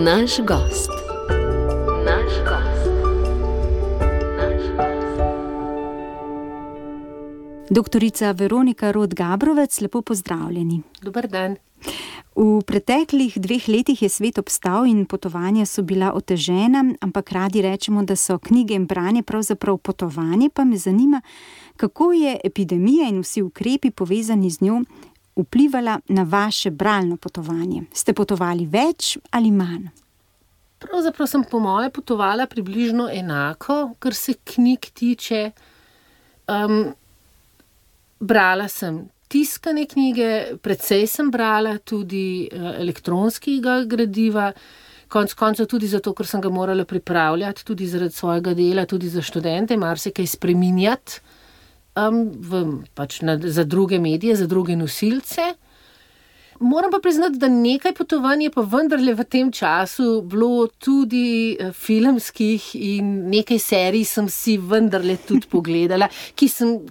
Naš gost. Doktorica Veronika Rot-Gabrovec, lepo pozdravljeni. Dober dan. V preteklih 2 letih je svet obstal in potovanja so bila otežena, ampak radi rečemo, da so knjige in branje pravzaprav potovanje, pa me zanima, kako je epidemija in vsi ukrepi povezani z njo vplivala na vaše bralno potovanje. Ste potovali več ali manj? Pravzaprav sem po moje potovala približno enako, kar se knjig tiče. Brala sem tiskane knjige, precej sem brala tudi elektronskega gradiva, konec koncev tudi zato, ker sem ga morala pripravljati, tudi zaradi svojega dela, tudi za študente, marsikaj spreminjati za druge medije, za druge nosilce. Moram pa priznati, da nekaj potovanj je pa vendarle v tem času bilo tudi filmskih in nekaj serij sem si vendarle tudi pogledala,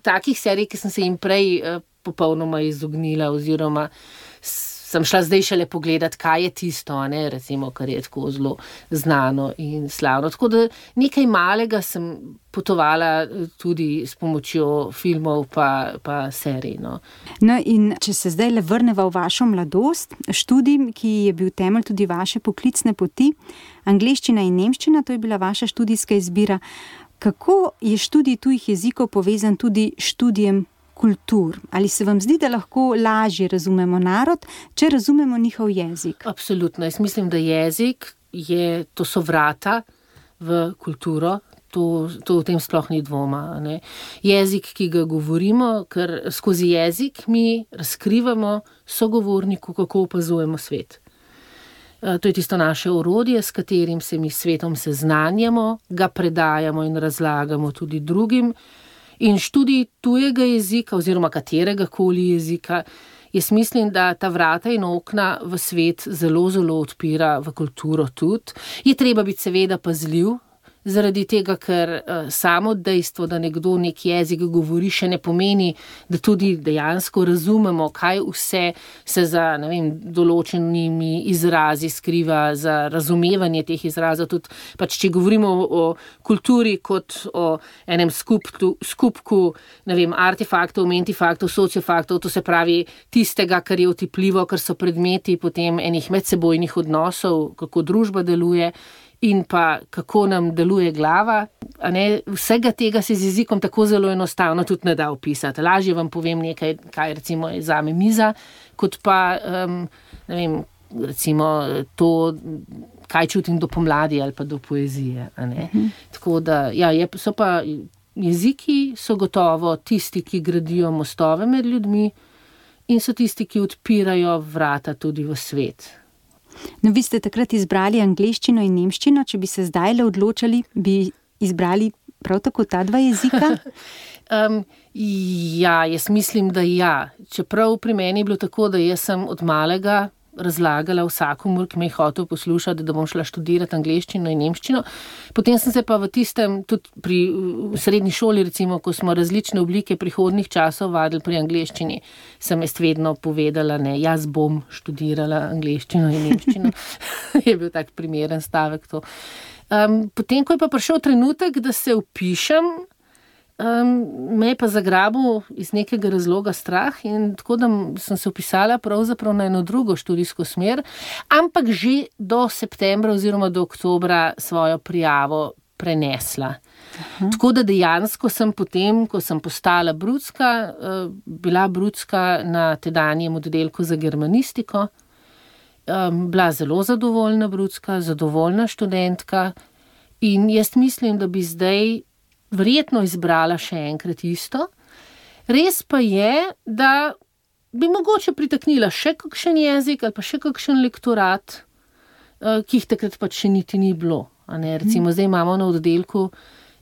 takih serij, ki sem se jim prej popolnoma izognila oziroma sem šla zdaj šele pogledati, kaj je tisto, recimo, kar je tako zelo znano in slavno. Tako da nekaj malega sem potovala tudi s pomočjo filmov pa serij. No, in če se zdaj le vrneva v vašo mladost, študij, ki je bil temelj tudi vaše poklicne poti, angleščina in nemščina, to je bila vaša študijska izbira. Kako je študij tujih jezikov povezan tudi s študijem kultur? Ali se vam zdi, da lahko lažje razumemo narod, če razumemo njihov jezik? Absolutno. Jaz mislim, da jezik to so vrata v kulturo. To v tem sploh ni dvoma. Jezik, ki ga govorimo, ker skozi jezik mi razkrivamo sogovorniku, kako opazujemo svet. To je tisto naše orodje, s katerim se mi s svetom seznanjamo, ga predajamo in razlagamo tudi drugim. In študij tujega jezika oziroma kateregakoli jezika, jaz mislim, da ta vrata in okna v svet zelo, zelo odpira, v kulturo tudi. Je treba biti seveda pazljiv, zaradi tega, ker samo dejstvo, da nekdo nek jezik govori, še ne pomeni, da tudi dejansko razumemo, kaj vse se za določenimi izrazi skriva, za razumevanje teh izrazov. Tudi če govorimo o kulturi kot o enem skupku artefaktov, mentifaktov, sociofaktov, to se pravi tistega, kar je otipljivo, kar so predmeti potem enih medsebojnih odnosov, kako družba deluje, in pa kako nam deluje glava. Vsega tega se z jezikom tako zelo enostavno tudi ne da opisati. Lažje vam povem nekaj, kaj recimo je zame miza, kot pa recimo to, kaj čutim do pomladi ali pa do poezije. Tako da, so pa jeziki so gotovo tisti, ki gradijo mostove med ljudmi in so tisti, ki odpirajo vrata tudi v svet. Vi ste takrat izbrali angleščino in nemščino, če bi se zdaj le odločali, bi izbrali prav tako ta 2 jezika? Jaz mislim, da ja. Čeprav pri meni je bilo tako, da jaz sem od malega razlagala vsakomur, ki me je hotel poslušati, da bom šla študirati angleščino in nemščino. Potem sem se pa v tistem, tudi v srednji šoli, recimo, ko smo različne oblike prihodnih časov vadili pri angleščini, sem jaz vedno povedala, jaz bom študirala angleščino in nemščino. Je bil tak primeren stavek to. Potem, ko je pa prišel trenutek, da se vpišem, me je pa zagrabil iz nekega razloga strah in tako da sem se vpisala pravzaprav na eno drugo študijsko smer, ampak že do septembra oziroma do oktobra svojo prijavo prenesla. Tako da dejansko sem potem, ko sem postala brucka, bila brucka na tedanjem oddelku za germanistiko, bila zelo zadovoljna brucka, zadovoljna študentka in jaz mislim, da bi zdaj verjetno izbrala še enkrat isto. Res pa je, da bi mogoče pritaknila še kakšen jezik ali pa še kakšen lektorat, ki jih takrat pač še niti ni bilo. Recimo zdaj imamo na oddelku,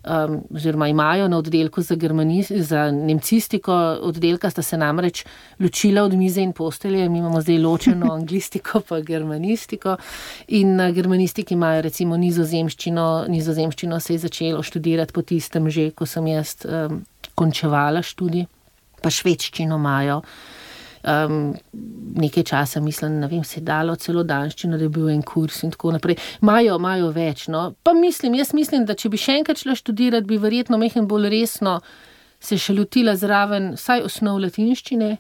oziroma imajo na oddelku za nemcistiko, oddelka sta se namreč ločila od mize in postelje, mi imamo zdaj ločeno anglistiko pa germanistiko in na germanistiki imajo recimo nizozemščino se je začelo študirati po tistem že, ko sem jaz končevala študij, pa švedščino imajo. nekaj časa, mislim, ne vem, se je dalo celo danščino, da je bil en kurs in tako naprej. Imajo več, no. Pa jaz mislim, da če bi še enkrat šla študirati, bi verjetno mehen bolj resno se še lotila zraven vsaj osnov latinščine,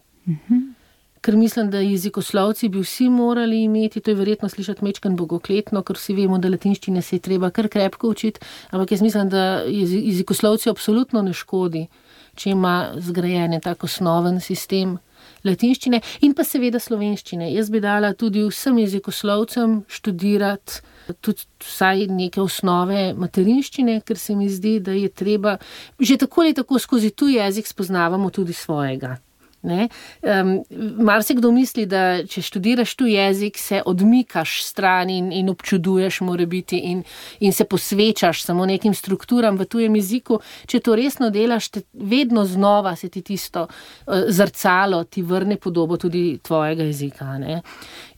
ker mislim, da jezikoslovci bi vsi morali imeti, to je verjetno slišati mečkan bogokletno, ker vsi vemo, da latinščine se je treba kar krepko učiti, ampak jaz mislim, da jezikoslovci absolutno ne škodi, če ima zgrajen tak osnoven sistem latinščine in pa seveda slovenščine. Jaz bi dala tudi vsem jezikoslovcem študirati tudi vsaj neke osnove materinščine, ker se mi zdi, da je treba, že tako ali tako skozi tu jezik spoznavamo tudi svojega. Marsikdo misli, da če študiraš tu jezik, se odmikaš stran in občuduješ morebiti in se posvečaš samo nekim strukturam v tujem jeziku. Če to resno delaš, vedno znova se ti tisto zrcalo ti vrne podobo tudi tvojega jezika.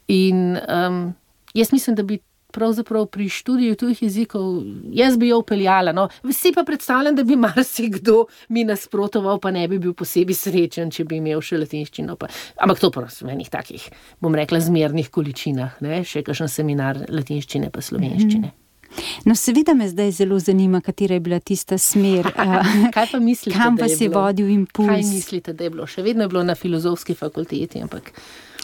In jaz mislim, da bi pravzaprav pri študiju tujih jezikov, jaz bi jo vpeljala, no. Vsi pa predstavljam, da bi marsikdo mi nasprotoval, pa ne bi bil posebej srečen, če bi imel še latinščino. Ampak to pa v enih takih, bom rekla, zmernih količinah, še kakšen seminar latinščine pa slovenščine. No, seveda me zdaj zelo zanima, katera je bila tista smer. Kaj pa mislite, kam pa si vodil impuls? Kaj mislite, da je bilo? Še vedno je bilo na filozofski fakulteti, ampak...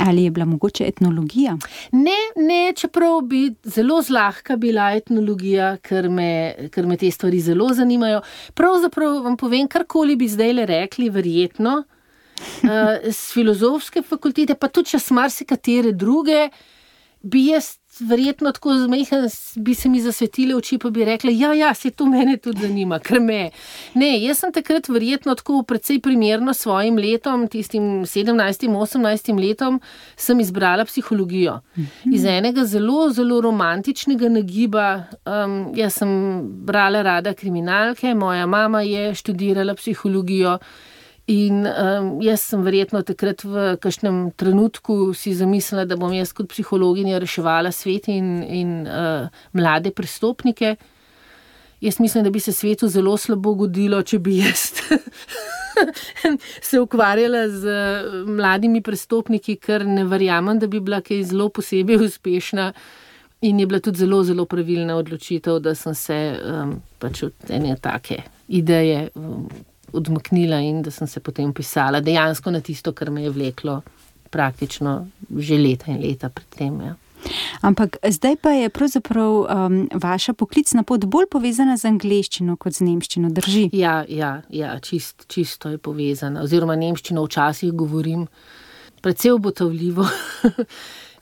Ali je bila mogoče etnologija? Ne, čeprav bi zelo zlahka bila etnologija, ker me te stvari zelo zanimajo. Pravzaprav vam povem, karkoli bi zdajle rekli, verjetno, z filozofske fakultete, pa tudi čas marsikatere druge, bi jaz verjetno tako zmehen, bi se mi zasvetile oči, pa bi rekla, ja, se to mene tudi zanima, ker me. Ne, jaz sem takrat verjetno tako precej primerno svojim letom, tistim 17, 18 letom, sem izbrala psihologijo. Iz enega zelo, zelo romantičnega nagiba, jaz sem brala rada kriminalke, moja mama je študirala psihologijo, in jaz sem verjetno takrat v kakšnem trenutku si zamislila, da bom jaz kot psihologinja reševala svet in mlade prestopnike. Jaz mislim, da bi se svetu zelo slabo godilo, če bi jaz se ukvarjala z mladimi prestopniki, ker ne verjamem, da bi bila kaj zelo posebej uspešna. In je bila tudi zelo, zelo pravilna odločitev, da sem se pač od ene take ideje odmaknila in da sem se potem pisala dejansko na tisto, kar me je vleklo praktično že leta in leta pred tem. Ja. Ampak zdaj pa je pravzaprav vaša poklicna pot bolj povezana z angleščino kot z nemščino, drži? Ja, čisto je povezana. Oziroma nemščino včasih govorim precej obotavljivo,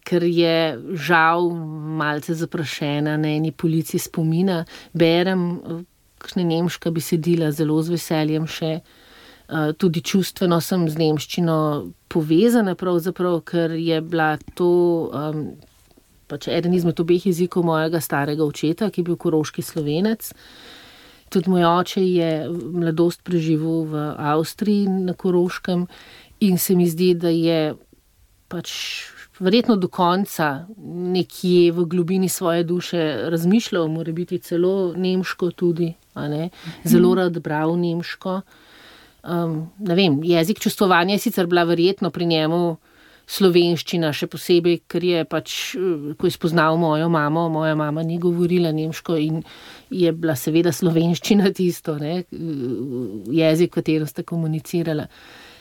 ker je žal malce zaprašena na eni polici spomina. Berem kakšne nemška besedila zelo z veseljem še. Tudi čustveno sem z nemščino povezana pravzaprav, ker je bila to pač eden izmed obeh jezikov mojega starega očeta, ki je bil koroški Slovenec. Tudi moj oče je mladost preživel v Avstriji na Koroškem in se mi zdi, da je pač verjetno do konca nekje v globini svoje duše razmišljal, mora biti celo nemško tudi, zelo rad bral nemško. Ne vem, jezik čustvovanja je sicer bila verjetno pri njemu slovenščina, še posebej, ker je pač, ko je spoznal mojo mamo, moja mama ni govorila nemško in je bila seveda slovenščina tisto, jezik, v katerem sta komunicirala.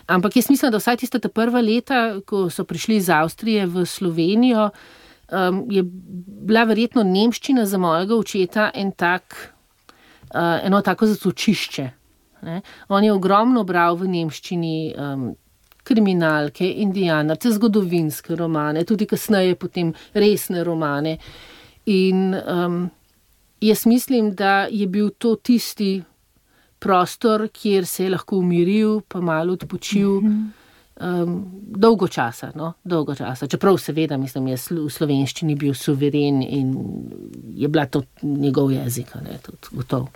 Ampak jaz mislim, da vsaj tista ta prva leta, ko so prišli iz Avstrije v Slovenijo, je bila verjetno nemščina za mojega očeta eno tako zatočišče. On je ogromno bral v nemščini kriminalke, indijanarce, zgodovinske romane, tudi kasneje potem resne romane. In jaz mislim, da je bil to tisti prostor, kjer se je lahko umiril, pa malo odpočil, dolgo časa. Čeprav seveda, mislim, je v slovenščini bil suveren in je bila to njegov jezik, tudi gotov.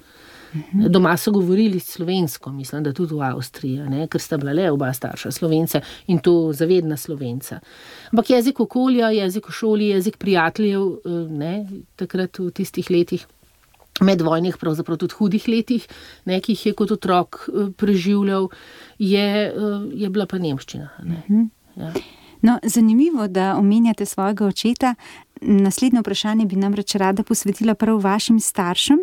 Doma so govorili slovensko, mislim, da tudi v Avstriji, ker sta bila le oba starša Slovenca in to zavedna Slovenca. Ampak jezik okolja, jezik v šoli, jezik prijateljev, takrat v tistih letih, medvojnih, pravzaprav tudi hudih letih, ki jih je kot otrok preživljal, je bila pa nemščina. Ja. No, zanimivo, da omenjate svojega očeta. Naslednje vprašanje bi namreč rada posvetila prav vašim staršem.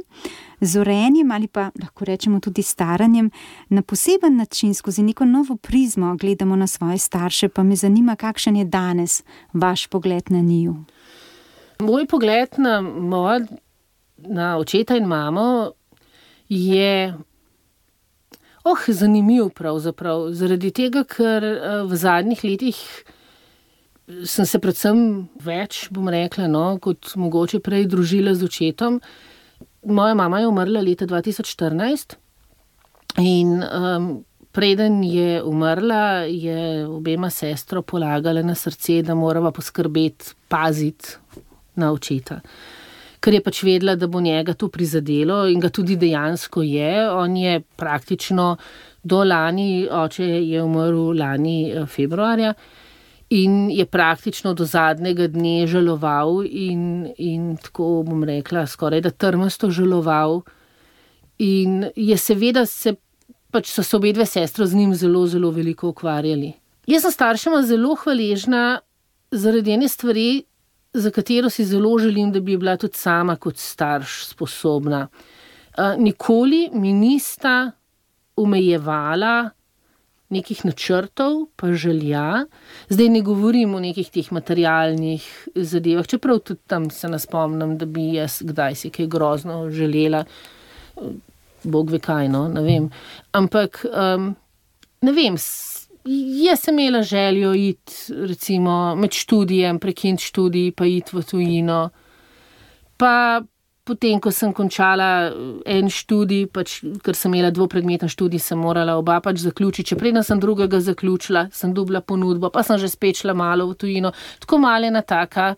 Z urejanjem ali pa lahko rečemo tudi staranjem na poseben način skozi neko novo prizmo gledamo na svoje starše, pa me zanima, kakšen je danes vaš pogled na njiju. Moj pogled na očeta in mamo je zanimiv pravzaprav, zaradi tega, ker v zadnjih letih sem se predvsem več, bom rekla, kot mogoče prej družila z očetom. Moja mama je umrla leta 2014 in preden je umrla, je obema sestro polagala na srce, da morava poskrbeti, paziti na očeta. Ker je pač vedela, da bo njega to prizadelo in ga tudi dejansko je. On je praktično do lani, oče je umrl lani februarja, in je praktično do zadnjega dne žaloval in tako bom rekla, skoraj da trmasto žaloval. In je seveda so se obedve sestre z njim zelo, zelo veliko ukvarjali. Jaz sem staršema zelo hvaležna zaradi ene stvari, za katero si zelo želim, da bi bila tudi sama kot starš sposobna. Nikoli mi nista omejevala nekih načrtov, pa želja. Zdaj ne govorim o nekih teh materialnih zadevah, čeprav tudi tam se ne spomnim, da bi jaz kdaj si kaj grozno želela. Bog ve kaj, ne vem. Ampak, ne vem, jaz sem imela željo iti, recimo, med študijem, prekiniti študij, pa iti v tujino. Pa potem, ko sem končala en študij, ker sem imela dvopredmeten študij, sem morala oba zaključiti. Če preden sem drugega zaključila, sem dobila ponudbo, pa sem že spet šla malo v tujino. Tako malena taka,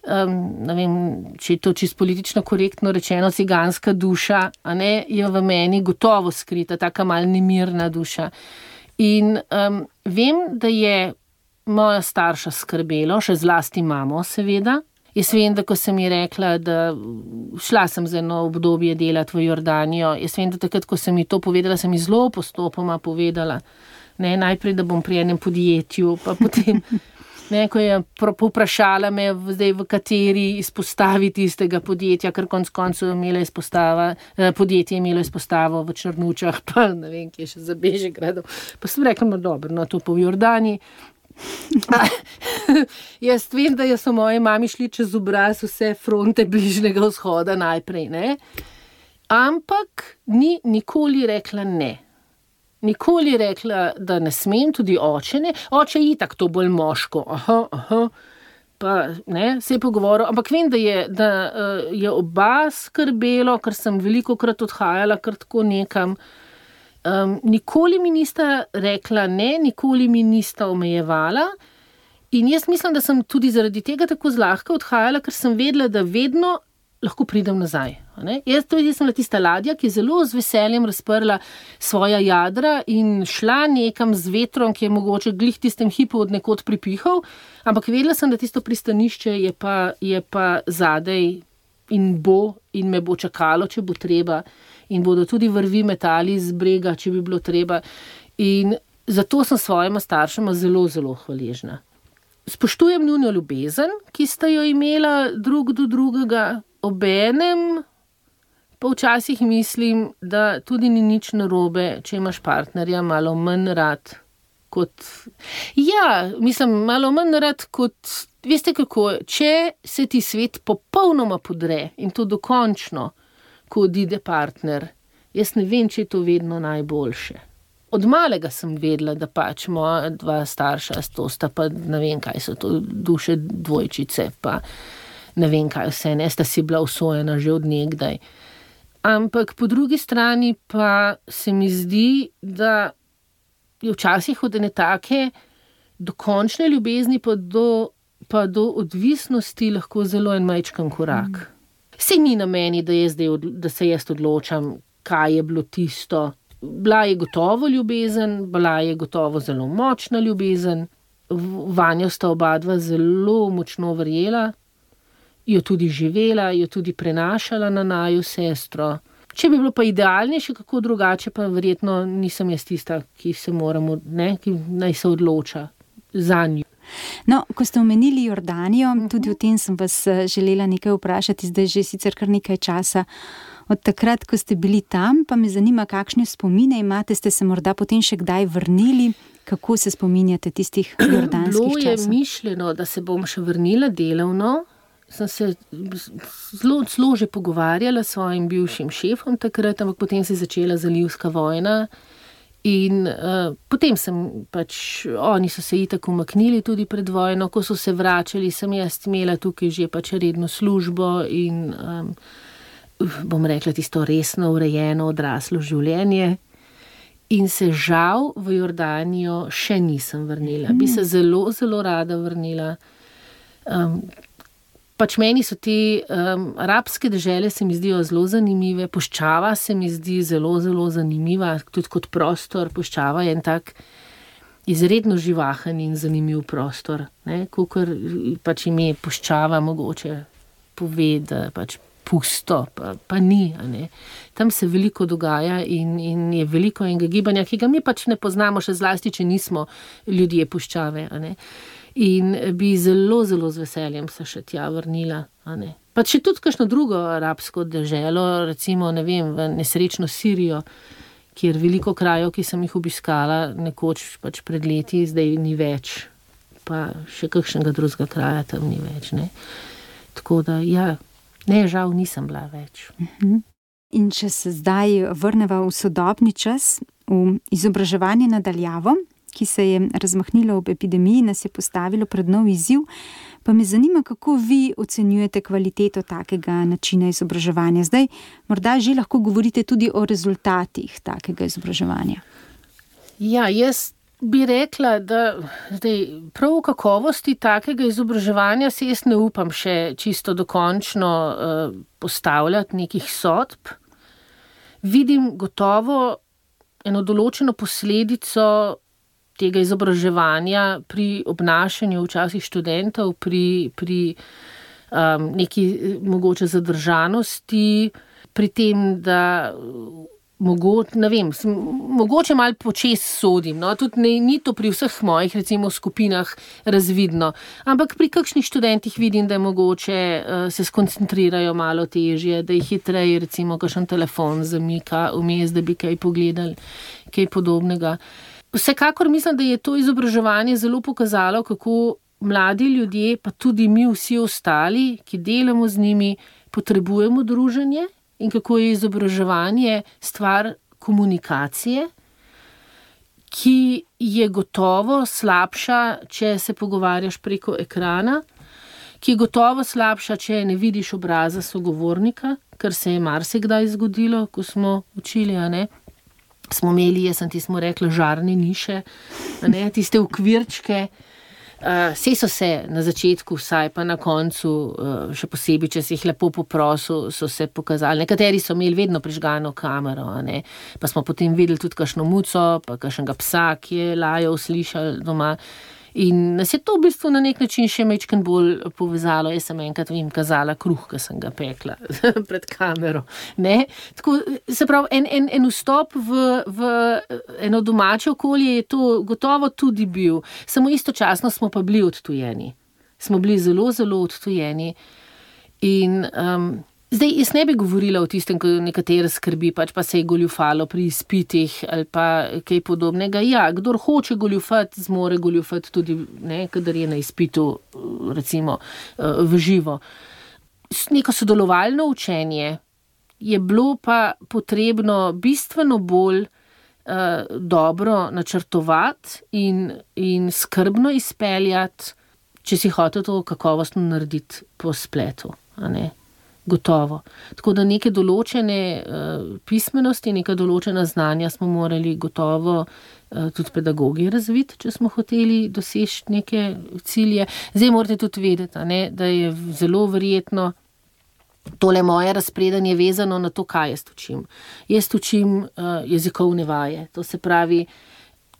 ne vem, če je to čisto politično korektno rečeno, ciganska duša, a ne, je v meni gotovo skrita, taka mal nemirna duša. In vem, da je moja starša skrbelo, še zlasti mamo seveda. Jaz vem, da ko sem ji rekla, da šla sem za eno obdobje delati v Jordanijo, jaz vem, da takrat, ko sem ji to povedala, sem ji zelo postopoma povedala. Ne, najprej, da bom pri enem podjetju, pa potem, ko je povprašala me, zdaj v kateri izpostavi tistega podjetja, ker konec koncev podjetje je imelo izpostavo v Črnučah, pa ne vem, kje še za Bežigradom. Pa sem rekla, dobro, to pa v Jordaniji. Jaz vem, da so moji mami šli čez obraz vse fronte Bližnjega vzhoda najprej, ne? Ampak ni nikoli rekla ne. Nikoli rekla, da ne smem, tudi oče ne. Oče je itak to bolj moško. Pa ne, se je pogovoril. Ampak vem, da je oba skrbelo, ker sem velikokrat odhajala kar tako nekam. Nikoli mi nista rekla ne, nikoli mi nista omejevala in jaz mislim, da sem tudi zaradi tega tako zlahka odhajala, ker sem vedela, da vedno lahko pridem nazaj. Jaz sem bila tista ladja, ki je zelo z veseljem razprla svoja jadra in šla nekam z vetrom, ki je mogoče glih tistem hipu od nekod pripihal, ampak vedela sem, da tisto pristanišče je pa zadej in me bo čakalo, če bo treba. In bodo tudi vrvi metali z brega, če bi bilo treba. In zato sem svojima staršema zelo, zelo hvaležna. Spoštujem njuno ljubezen, ki sta jo imela drug do drugega, obenem pa včasih mislim, da tudi ni nič narobe, če imaš partnerja malo manj rad kot... Ja, mislim, malo manj rad kot... Veste kako, če se ti svet popolnoma podre in to dokončno, ko odide partner, jaz ne vem, če je to vedno najboljše. Od malega sem vedela, da moja dva starša sta pa ne vem, kaj so to duše dvojčice, pa ne vem, kaj vse, ne, sta si bila usojena že od nekdaj. Ampak po drugi strani pa se mi zdi, da je včasih od ene take dokončne ljubezni pa do odvisnosti lahko zelo en majčken korak. Sej ni na meni, da se jaz odločam, kaj je bilo tisto. Bila je gotovo ljubezen, bila je gotovo zelo močna ljubezen, vanjo sta oba dva zelo močno verjela, jo tudi živela, jo tudi prenašala na naju sestro. Če bi bilo pa idealnejše, kako drugače, pa verjetno nisem jaz tista, ki se moramo, ki naj se odloča. za njo. No, ko ste omenili Jordanijo, tudi o tem sem vas želela nekaj vprašati, zdaj že sicer kar nekaj časa. Od takrat, ko ste bili tam, pa me zanima, kakšne spomine imate, ste se morda potem še kdaj vrnili? Kako se spominjate tistih jordanskih časov? Bilo je mišljeno, da se bom še vrnila delovno. Sem se zelo že pogovarjala s svojim bivšim šefom takrat, ampak potem se je začela zalivska vojna. In potem oni so se itak umaknili tudi pred vojno, ko so se vračali, sem jaz imela tukaj že redno službo in bom rekla tisto resno, urejeno, odraslo življenje. In se žal v Jordanijo še nisem vrnila. Bi se zelo, zelo rada vrnila. Meni so te arabske dežele se mi zdijo zelo zanimive, puščava se mi zdi zelo, zelo zanimiva, tudi kot prostor. Puščava je en tak izredno živahen in zanimiv prostor, ne? Kakor ime puščava mogoče pove, da pusto, pa ni, a ne. Tam se veliko dogaja in je veliko enega gibanja, ki ga mi ne poznamo, še zlasti, če nismo ljudje puščave, a ne. In bi zelo, zelo z veseljem se še tja vrnila, a ne. Pa še tudi kakšno drugo arabsko deželo, recimo, ne vem, v nesrečno Sirijo, kjer veliko krajev, ki sem jih obiskala nekoč pred leti, zdaj ni več. Pa še kakšnega drugega kraja tam ni več, ne. Tako da, ja, ne, žal nisem bila več. In če se zdaj vrneva v sodobni čas, v izobraževanje na daljavo, ki se je razmahnilo ob epidemiji, nas je postavilo pred nov izziv, pa me zanima, kako vi ocenjujete kvaliteto takega načina izobraževanja. Zdaj, morda že lahko govorite tudi o rezultatih takega izobraževanja. Ja, jaz bi rekla, da prav v kakovosti takega izobraževanja se jaz ne upam še čisto dokončno postavljati nekih sodb. Vidim gotovo eno določeno posledico tega izobraževanja pri obnašanju včasih študentov, pri neki mogoče zadržanosti, pri tem, da mogoče malo počez sodim, no, tudi ni to pri vseh mojih, recimo, skupinah razvidno, ampak pri kakšnih študentih vidim, da mogoče se skoncentrirajo malo težje, da jih hitreje, recimo, kakšen telefon zamika vmes, da bi kaj pogledali, kaj podobnega. Vsekakor mislim, da je to izobraževanje zelo pokazalo, kako mladi ljudje, pa tudi mi vsi ostali, ki delamo z njimi, potrebujemo druženje in kako je izobraževanje stvar komunikacije, ki je gotovo slabša, če se pogovarjaš preko ekrana, ki je gotovo slabša, če ne vidiš obraza sogovornika, kar se je marsikdaj zgodilo, ko smo učili, a ne. Smo imeli, smo rekli, žarne niše, ne, tiste okvirčke. Saj so se na začetku, vsaj pa na koncu, še posebej, če si jih lepo poprosil, so se pokazali. Nekateri so imeli vedno prižgano kamero, a ne, pa smo potem videli tudi kakšno muco, pa kakšnega psa, ki je lajal, slišali doma. In nas je to v bistvu na nek način še majčkeno bolj povezalo. Jaz sem enkrat jim kazala kruh, ki sem ga pekla pred kamero. Ne? Tako, se pravi, en vstop v eno domače okolje je to gotovo tudi bil. Samo istočasno smo pa bili odtujeni. Smo bili zelo, zelo odtujeni. In zdaj, jaz ne bi govorila o tistem, ko nekatere skrbi, pa se je goljufalo pri izpitih ali pa kaj podobnega. Ja, kdor hoče goljufati, zmore goljufati tudi, ne, kadar je na izpitu, recimo, v živo. Neko sodelovalno učenje je bilo pa potrebno bistveno bolj dobro načrtovati in skrbno izpeljati, če si hotel to kakovostno narediti po spletu, a ne. Gotovo. Tako da neke določene pismenosti, neka določena znanja smo morali gotovo tudi pedagogi razviti, če smo hoteli doseči neke cilje. Zdaj morate tudi vedeti, a ne, da je zelo verjetno tole moje razpredanje vezano na to, kaj jaz učim. Jaz učim jezikovne vaje. To se pravi,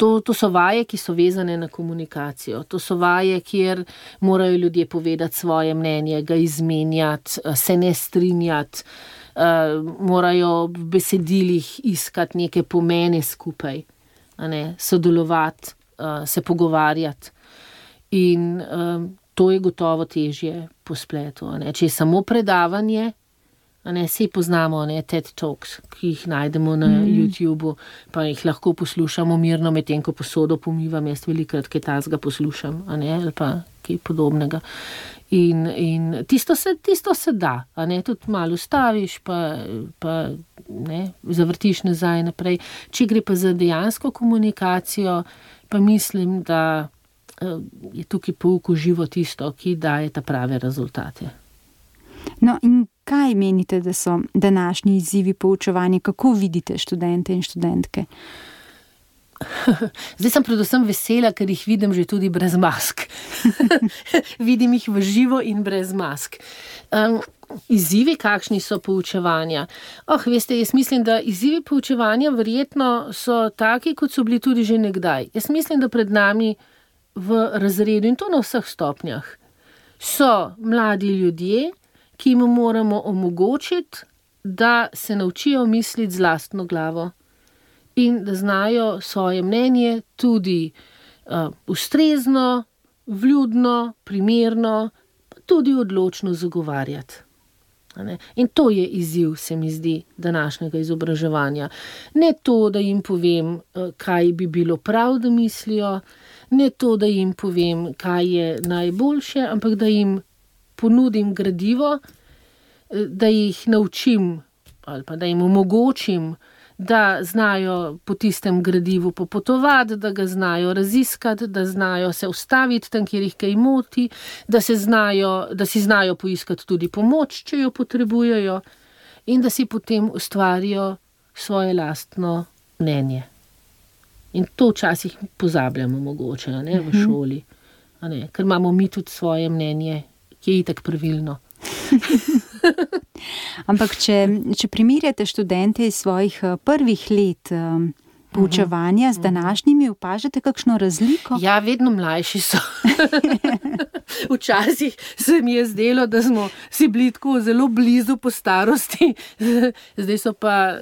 to so vaje, ki so vezane na komunikacijo. To so vaje, kjer morajo ljudje povedati svoje mnenje, ga izmenjati, se ne strinjati, morajo v besedilih iskati neke pomene skupaj, a ne, sodelovati. se pogovarjati. In to je gotovo težje po spletu. Če je samo predavanje, sej poznamo TED Talks, ki jih najdemo na YouTubeu, pa jih lahko poslušamo mirno, medtem ko posodo pomivam, jaz velikokrat kaj takega poslušam, ali pa kaj podobnega. In tisto se da, tudi malo ustaviš, pa zavrtiš nazaj naprej. Če gre pa za dejansko komunikacijo, pa mislim, da je tukaj pouk v živo tisto, ki daje ta prave rezultate. No, in kaj menite, da so današnji izzivi poučevanja? Kako vidite študente in študentke? Zdaj sem predvsem vesela, ker jih vidim že tudi brez mask. Vidim jih v živo in brez mask. Izzivi, kakšni so poučevanja? Veste, jaz mislim, da izzivi poučevanja verjetno so taki, kot so bili tudi že nekdaj. Jaz mislim, da pred nami v razredu, in to na vseh stopnjah, so mladi ljudje, ki jim moramo omogočiti, da se naučijo misliti z lastno glavo in da znajo svoje mnenje tudi ustrezno, vljudno, primerno, pa tudi odločno zagovarjati. In to je izziv, se mi zdi, današnjega izobraževanja. Ne to, da jim povem, kaj bi bilo prav, da mislijo, ne to, da jim povem, kaj je najboljše, ampak da jim ponudim gradivo, da jih naučim ali pa da jim omogočim, da znajo po tistem gradivu popotovati, da ga znajo raziskati, da znajo se ustaviti tam, kjer jih kaj moti, da si znajo poiskati tudi pomoč, če jo potrebujejo, in da si potem ustvarijo svoje lastno mnenje. In to včasih pozabljamo mogoče, v šoli, ker imamo mi tudi svoje mnenje, ki je itak pravilno. Ampak če primerjate študente iz svojih prvih let poučevanja z današnjimi, opažate kakšno razliko? Ja, vedno mlajši so. Včasih se mi je zdelo, da smo si bili tako zelo blizu po starosti. Zdaj so pa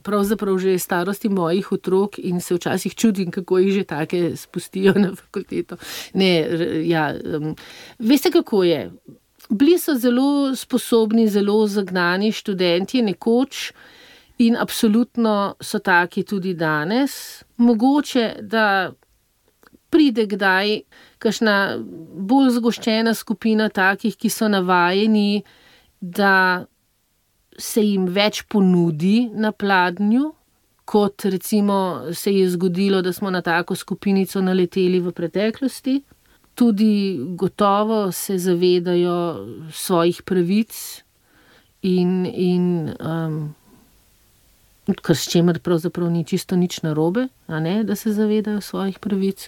pravzaprav že starosti mojih otrok in se včasih čudim, kako jih že take spustijo na fakulteto. Veste, kako je? Bili so zelo sposobni, zelo zagnani študentje nekoč in absolutno so taki tudi danes. Mogoče, da pride kdaj kakšna bolj zgoščena skupina takih, ki so navajeni, da se jim več ponudi na pladnju, kot recimo se je zgodilo, da smo na tako skupinico naleteli v preteklosti. Tudi gotovo se zavedajo svojih pravic in kar s čemer pravzaprav ni čisto nič narobe, da se zavedajo svojih pravic.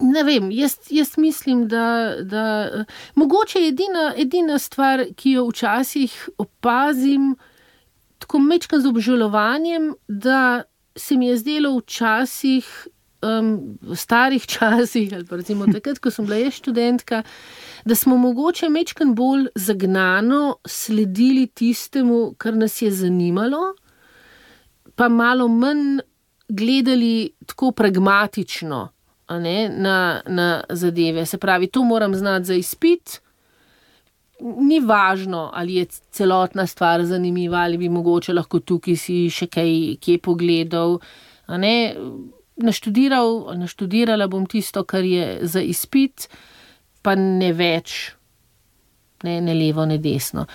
Ne vem, jaz mislim, da mogoče edina stvar, ki jo včasih opazim, tako majčkeno z obžalovanjem, da se mi je zdelo včasih v starih časih, ali pa recimo takrat, ko sem bila jaz študentka, da smo mogoče majčkeno bolj zagnano sledili tistemu, kar nas je zanimalo, pa malo manj gledali tako pragmatično na zadeve. Se pravi, to moram znati za izpit, ni važno, ali je celotna stvar zanimiva, ali bi mogoče lahko tukaj si še kje pogledal, naštudirala bom tisto, kar je za izpit, pa ne več, ne levo, ne desno.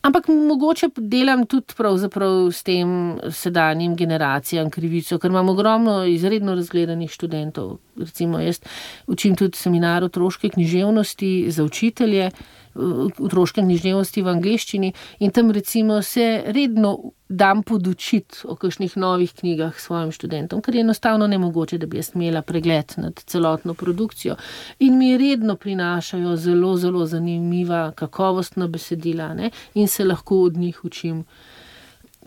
Ampak mogoče delam tudi pravzaprav s tem sedanjim generacijam krivico, ker imam ogromno izredno razgledanih študentov. Recimo jaz učim tudi seminar otroške književnosti za učitelje, otroške književnosti v angleščini in tam recimo se redno dam podučiti o kakšnih novih knjigah svojim študentom, ker je enostavno nemogoče, da bi jaz imela pregled nad celotno produkcijo. In mi redno prinašajo zelo, zelo zanimiva, kakovostna besedila, in se lahko od njih učim.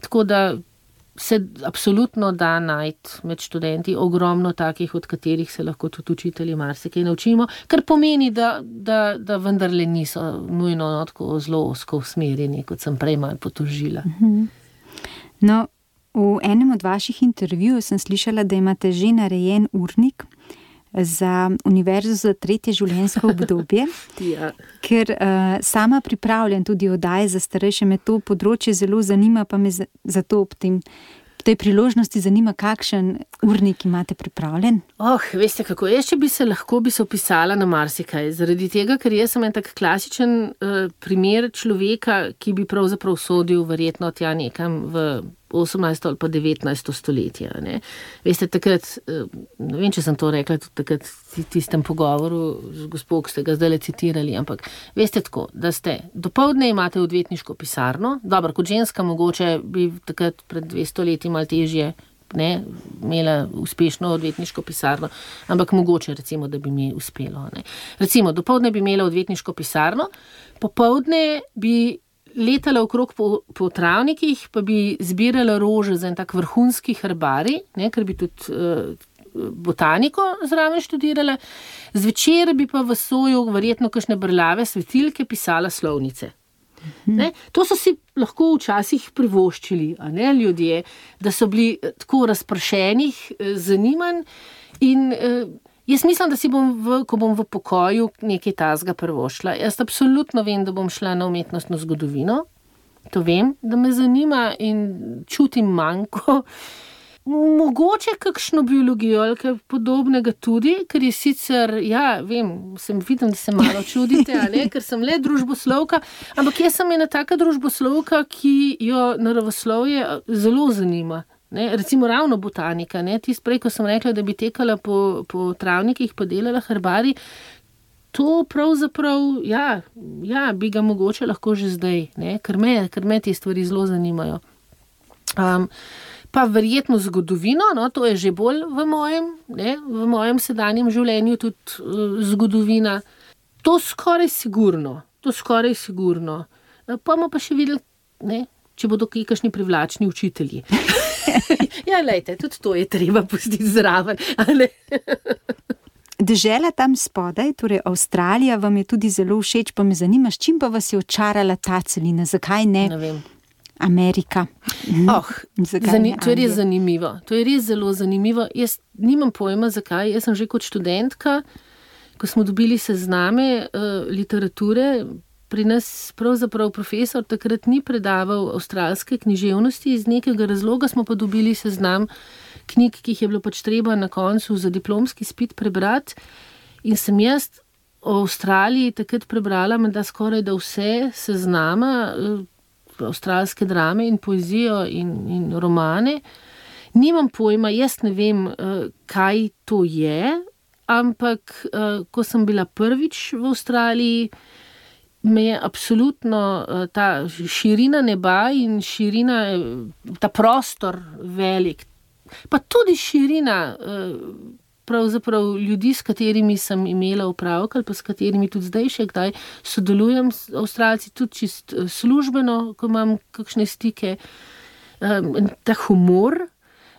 Tako da se absolutno da najti med študenti ogromno takih, od katerih se lahko tudi učitelji marsikaj naučimo, kar pomeni, da vendarle niso nujno tako zelo ozko usmerjeni, kot sem prej malo potožila. No, V enem od vaših intervjujev sem slišala, da imate že narejen urnik za univerzo za 3. življenjsko obdobje, Ja. ker sama pripravljam tudi oddaje za starejše, me to področje zelo zanima, pa me zato ob tej priložnosti zanima, kakšen urnik imate pripravljen. Veste kako, jaz če bi se opisala na marsikaj, zaradi tega, ker jaz sem en tak klasičen primer človeka, ki bi pravzaprav sodil verjetno tja nekam v 18. ali pa 19. stoletje. Ne? Veste, takrat, ne vem, če sem to rekla, tudi takrat v tistem pogovoru z gospo, ki ste ga zdajle citirali, ampak veste tako, da ste dopoldne imate odvetniško pisarno, dobro, kot ženska mogoče bi takrat pred 200 leti malo težje imela uspešno odvetniško pisarno, ampak mogoče recimo, da bi mi uspelo. Ne? Recimo, dopoldne bi imela odvetniško pisarno, popoldne bi letala okrog po travnikih, pa bi zbirala rože za en tak vrhunski herbarij, ker bi tudi botaniko zraven študirala, zvečer bi pa v soju verjetno kakšne brlave svetilke pisala slovnice. Ne? To so si lahko včasih privoščili, ljudje, da so bili tako razpršenih zanimanj in jaz mislim, da si ko bom v pokoju nekaj tazga privoščila. Jaz absolutno vem, da bom šla na umetnostno zgodovino, to vem, da me zanima in čutim manko. Mogoče kakšno biologijo ali kaj podobnega tudi, ker je sicer, vidim, da se malo čudite, ker sem le družboslovka, ampak jaz sem ena taka družboslovka, ki jo naravoslovje zelo zanima. Recimo ravno botanika, tisto prej, ko sem rekla, da bi tekala po travnikih, pa delala herbarij, to pravzaprav, bi ga mogoče lahko že zdaj, ker me te stvari zelo zanimajo. Pa verjetno zgodovino, to je že bolj v mojem sedanjem življenju tudi zgodovina. To skoraj sigurno. Pa bomo pa še videli, če bodo kakšni privlačni učitelji. Glejte, tudi to je treba pustiti zraven. Dežela tam spodaj, torej Avstralija, vam je tudi zelo všeč, pa me zanima, s čim pa vas je očarala ta celina, zakaj ne? Ne vem. Amerika. To je res zanimivo. To je res zelo zanimivo. Jaz nimam pojma, zakaj. Jaz sem že kot študentka, ko smo dobili sezname literature, pri nas pravzaprav profesor takrat ni predaval avstralske književnosti, iz nekega razloga smo pa dobili seznam knjig, ki jih je bilo pač treba na koncu za diplomski izpit prebrati. In sem jaz o Avstraliji takrat prebrala menda skoraj da vse seznama, avstralske drame in poezijo in romane. Nimam pojma, jaz ne vem, kaj to je, ampak ko sem bila prvič v Avstraliji, me je absolutno ta širina neba in širina, ta prostor velik, pa tudi širina pravzaprav ljudi, s katerimi sem imela opravka ali pa s katerimi tudi zdaj še kdaj sodelujem s Avstralci, tudi čist službeno, ko imam kakšne stike. Ta humor,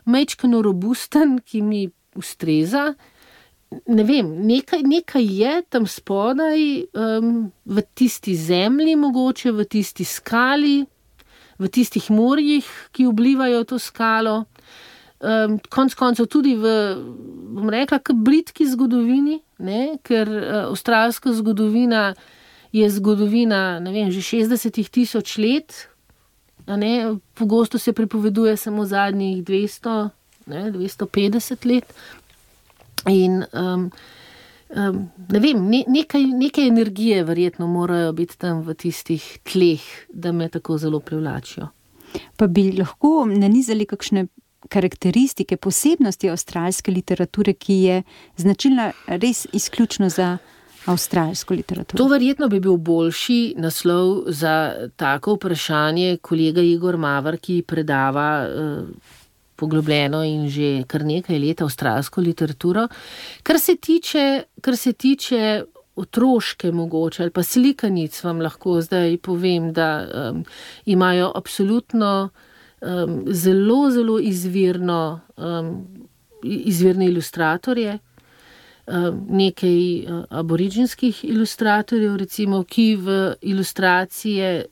majčkeno robusten, ki mi ustreza. Ne vem, nekaj je tam spodaj, v tisti zemlji mogoče, v tisti skali, v tistih morjih, ki oblivajo to skalo. Konec koncev tudi bom rekla, k britki zgodovini, ker avstralska zgodovina je zgodovina, že 60.000 let, pogosto se pripoveduje samo zadnjih 200, 250 let. In ne vem, nekaj energije verjetno morajo biti tam v tistih tleh, da me tako zelo privlačijo. Pa bi lahko nanizali kakšne karakteristike, posebnosti avstralske literature, ki je značilna res izključno za avstralsko literaturo? To verjetno bi bil boljši naslov za tako vprašanje kolega Igor Mavar, ki predava poglobljeno in že kar nekaj let avstralsko literaturo. Kar se tiče otroške mogoče ali pa slikanic, vam lahko zdaj povem, da imajo absolutno zelo, zelo izvirne ilustratorje, nekaj aboriginskih ilustratorjev, recimo, ki v ilustracije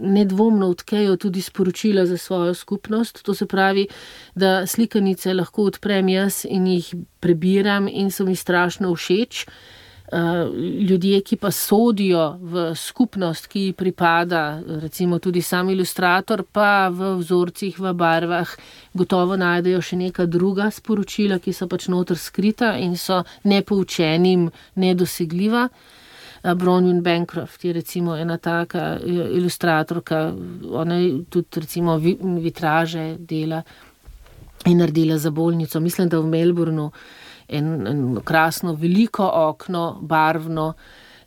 nedvomno odkejo tudi sporočila za svojo skupnost. To se pravi, da slikanice lahko odprem jaz in jih prebiram in so mi strašno všeč. Ljudje, ki pa sodijo v skupnost, ki ji pripada, recimo tudi sam ilustrator, pa v vzorcih, v barvah, gotovo najdejo še neka druga sporočila, ki so pač noter skrita in so nepoučenim nedosegljiva. Bronwyn Bancroft je recimo ena taka ilustratorka, ona tudi recimo vitraže dela in naredila za bolnico. Mislim, da v Melbourneu en krasno veliko okno, barvno,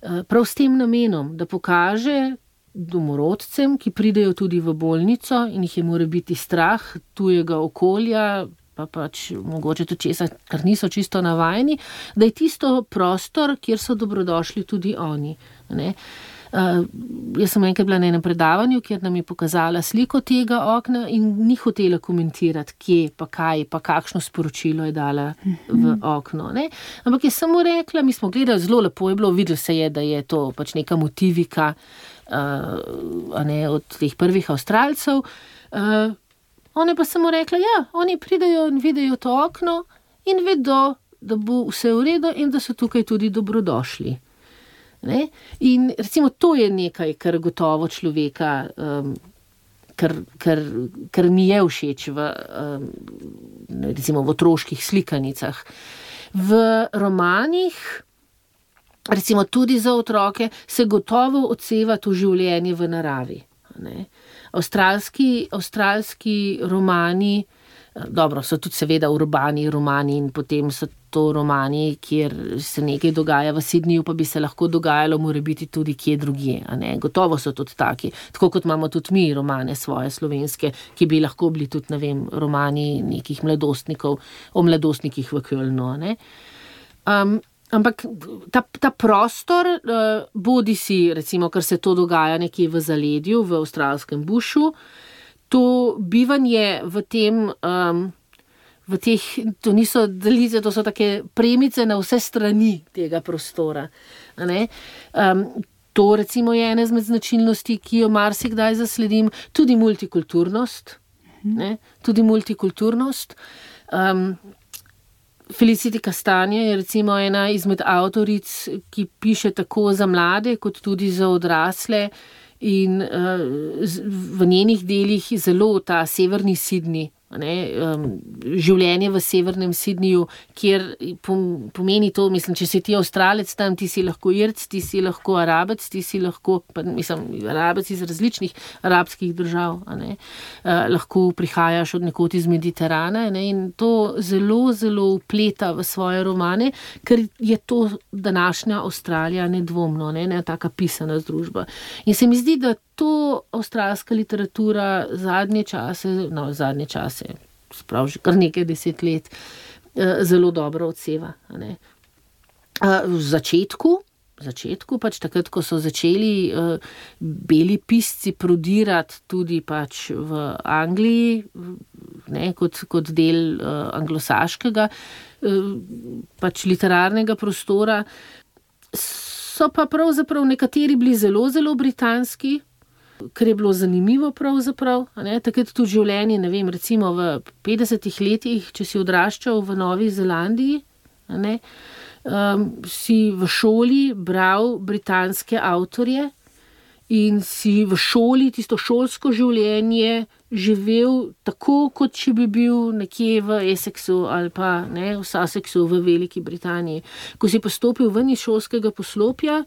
prav s tem namenom, da pokaže domorodcem, ki pridejo tudi v bolnico in jih je mora biti strah tujega okolja, pa pač mogoče tudi česa, kar niso čisto navajeni, da je tisto prostor, kjer so dobrodošli tudi oni. Ne? Jaz sem enkrat bila na enem predavanju, kjer nam je pokazala sliko tega okna in ni hotela komentirati, kje, pa kaj, pa kakšno sporočilo je dala v okno. Ne? Ampak je samo rekla, mi smo gledali, zelo lepo je bilo, videlo se je, da je to pač neka motivika od teh prvih Avstralcev. Ona pa samo rekla, ja, oni pridejo in vidijo to okno in vedo, da bo vse v redu in da so tukaj tudi dobrodošli. Ne? In recimo to je nekaj, kar gotovo človeka, kar mi je všeč recimo v otroških slikanicah. V romanih, recimo tudi za otroke, se gotovo odseva to življenje v naravi. Ne? Avstralski romani, dobro, so tudi seveda urbani romani in potem so to romani, kjer se nekaj dogaja v Sydneyju, pa bi se lahko dogajalo morebiti tudi kje drugje. Gotovo so tudi taki. Tako kot imamo tudi mi romane svoje slovenske, ki bi lahko bili tudi, ne vem, romani nekih mladostnikov, o mladostnikih v Kölnu. Ampak ta prostor, bodi si, recimo, ker se to dogaja nekje v zaledju, v avstralskem bušu, to bivanje v tem, to niso delice, to so take premice na vse strani tega prostora. To recimo je ena izmed značilnosti, ki jo marsikdaj zasledim, tudi multikulturnost. Tudi multikulturnost. Felicity Castanje je recimo ena izmed avtoric, ki piše tako za mlade, kot tudi za odrasle in v njenih delih zelo ta severni Sydney, življenje v severnem Sydneyju, kjer pomeni to, mislim, če si ti Avstralec tam, ti si lahko Irc, ti si lahko Arabec, ti si lahko, Arabec iz različnih arabskih držav, lahko prihajaš od nekod iz Mediterana, in to zelo, zelo vpleta v svoje romane, ker je to današnja Avstralija nedvomno, ne taka pisana združba. In se mi zdi, da to avstralska literatura zadnje čase, sprav že kar nekaj 10 let, zelo dobro odseva. V začetku, pač takrat, ko so začeli beli pisci prodirati tudi pač v Angliji, kot del anglosaškega pač literarnega prostora, so pa pravzaprav nekateri bili zelo, zelo britanski, kar je bilo zanimivo pravzaprav, takrat tudi življenje, ne vem, recimo v 50 letih, če si odraščal v Novi Zelandiji, si v šoli bral britanske avtorje in si v šoli tisto šolsko življenje živel tako, kot če bi bil nekje v Essexu ali pa v Sussexu v Veliki Britaniji. Ko si postopil ven iz šolskega poslopja,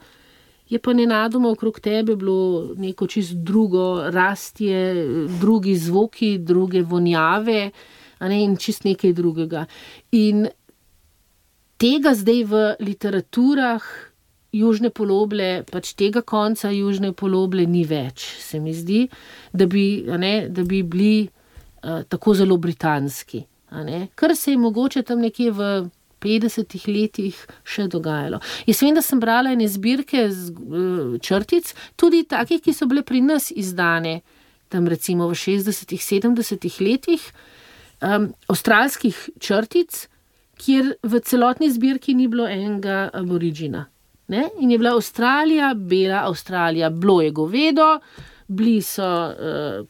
je pa nenadoma okrog tebe bilo neko čisto drugo rastje, drugi zvoki, druge vonjave, in čisto nekaj drugega. In tega zdaj v literaturah južne poloble, pač tega konca južne poloble ni več, se mi zdi, da bi bili tako zelo britanski. Kar se je mogoče tam nekje v 50 letih še dogajalo. Jaz vem, da sem brala ene zbirke črtic, tudi takih, ki so bile pri nas izdane, tam recimo v 60, 70 letih, avstralskih črtic, kjer v celotni zbirki ni bilo enega aboriđina. In je bila Avstralija, bela Avstralija, bilo je govedo, bili so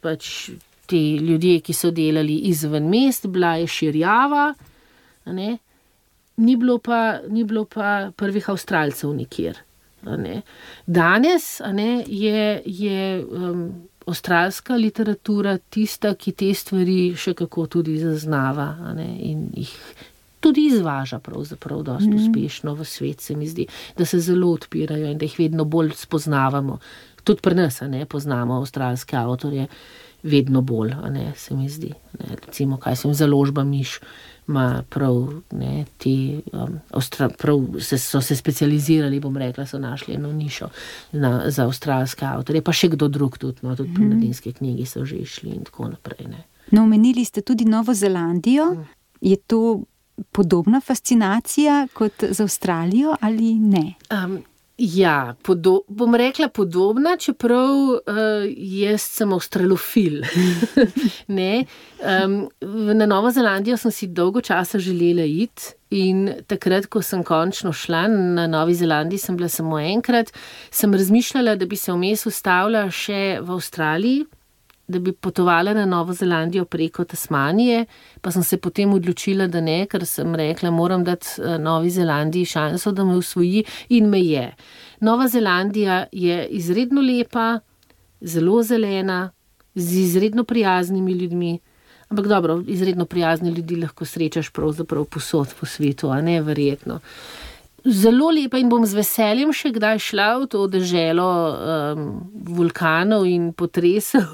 pač ti ljudje, ki so delali izven mest, bila je širjava, a ne. Ni bilo pa prvih Avstralcev nikjer. A ne. Danes a ne, je avstralska literatura tista, ki te stvari še kako tudi zaznava, a ne, in jih tudi izvaža pravzaprav dosti uspešno v svet, se mi zdi, da se zelo odpirajo in da jih vedno bolj spoznavamo. Tudi pri nas, a ne, poznamo avstralske avtorje vedno bolj, a ne, se mi zdi. Ne, recimo, kaj sem Založba Miš, ima prav, ne, so se specializirali, bom rekla, so našli eno nišo za avstralske avtorje, pa še kdo drug tudi, no, tudi pri Mladinski knjigi so že išli in tako naprej, ne. No, omenili ste tudi Novo Zelandijo. Je to podobna fascinacija kot z Avstralijo ali ne? Ja, bom rekla podobna, čeprav jaz sem avstralofil. Ne? Na Novo Zelandijo sem si dolgo časa želela iti in takrat, ko sem končno šla na Novi Zelandiji, sem bila samo enkrat, sem razmišljala, da bi se vmes ustavila še v Avstraliji, da bi potovala na Novo Zelandijo preko Tasmanije, pa sem se potem odločila, da ne, ker sem rekla, moram dati Novi Zelandiji šanso, da me usvoji in me je. Nova Zelandija je izredno lepa, zelo zelena, z izredno prijaznimi ljudmi, ampak dobro, izredno prijazne ljudi lahko srečaš pravzaprav povsod po svetu, a ne, verjetno. Zelo lepa in bom z veseljem še kdaj šla v to deželo vulkanov in potresov.